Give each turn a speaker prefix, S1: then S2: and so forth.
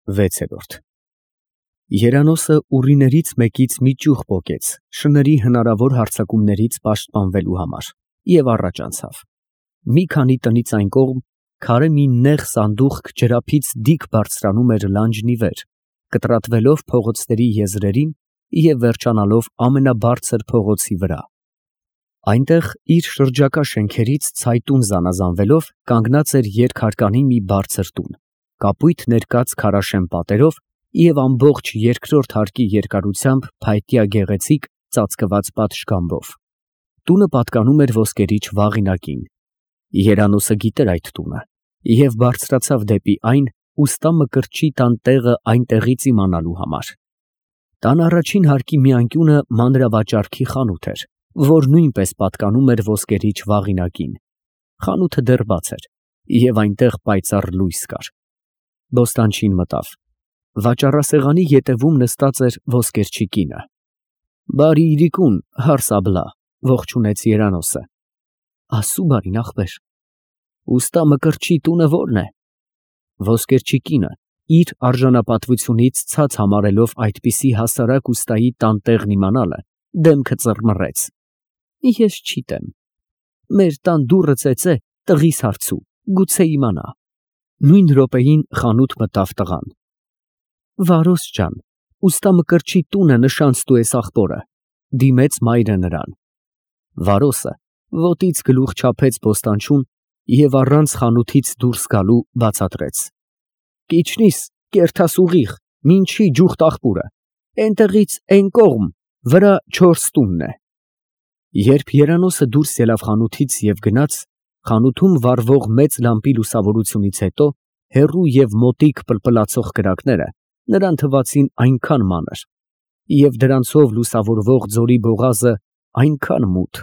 S1: 6 Երանոսը ուռիներից մեկից մի ճյուղ պոկեց շների հնարավոր հարձակումներից պաշտպանվելու համար և առաջ անցավ։ Մի քանի տնից այն կողմ քարե մի նեղ սանդուղք ջրափից դիկ բարձրանում էր լանջն ի վեր, կտրատվելով փողոցների եզրերին և վերջանալով ամենաբարձր փողոցի վրա։ Այնտեղ իր շրջակա շենքերից ցայտուն զանազանվելով կանգնած էր երկհարկանի մի բարձր տուն, կապույտ ներկած քարաշեն պատերով և ամբողջ երկրորդ հարկի երկարությամբ փայտյա գեղեցիկ ծածկված պատշգամբով։ Տունը պատկանում էր ոսկերիչ Վաղինակին։ Երանոսը գիտեր այդ տունը և բարձրացավ դեպի այն ուստա Մկրտչի տան տեղը այնտեղից իմանալու համար։ Տան առաջին հարկի մի անկյունը մանրավաճառքի խանութ էր, որ նույնպես պատկանում էր ոսկերիչ Վաղինակին։ Խանութը դեռ բաց էր և այնտեղ պայծառ լույս կար։ Բոստանչին մտավ։ Վաճառասեղանի ետևում նստած էր ոսկերչի կինը։ «Բարի իրիկուն, հարս աբլա», ողջունեց Երանոսը։ «Աստծու բարին, ախպեր»։ «Ուստա Մկրտչի տունը ո՞րն է»։ Ոսկերչի կինը իր արժանապատվությունից ցած համարելով այդպիսի հասարակ ուստայի տան տեղն իմանալը, դեմքը ծռմռեց։ «Ես չիտեմ։ Մեր տան դուռը ծեծե, տղիս հարցու, գուցե իմանա»։ Նույն րոպեին խանութ մտավ տղան։ «Վարոս ջան, ուստա Մկրտչի տունը նշանցտու ես ախպորը», դիմեց մայրը նրան։ Վարոսը ոտից գլուխ չափեց բոստանչուն և առանց խանութից դուրս գալու բացատրեց. «Կիչնիս, կերթաս ուղիղ, մինչի ջուխտ աղբուրը, էնտեղից էն կողմ, վրա 4 տունն է»։ Երբ Երանոսը դուրս ելավ խանութից և գնաց, խանութում վառվող մեծ լամպի լուսավորությունից հետո հեռու և մոտիկ պլպլացող կրակները նրան թվացին այնքան մանր և դրանցով լուսավորվող ձորի բողազը այնքան մութ,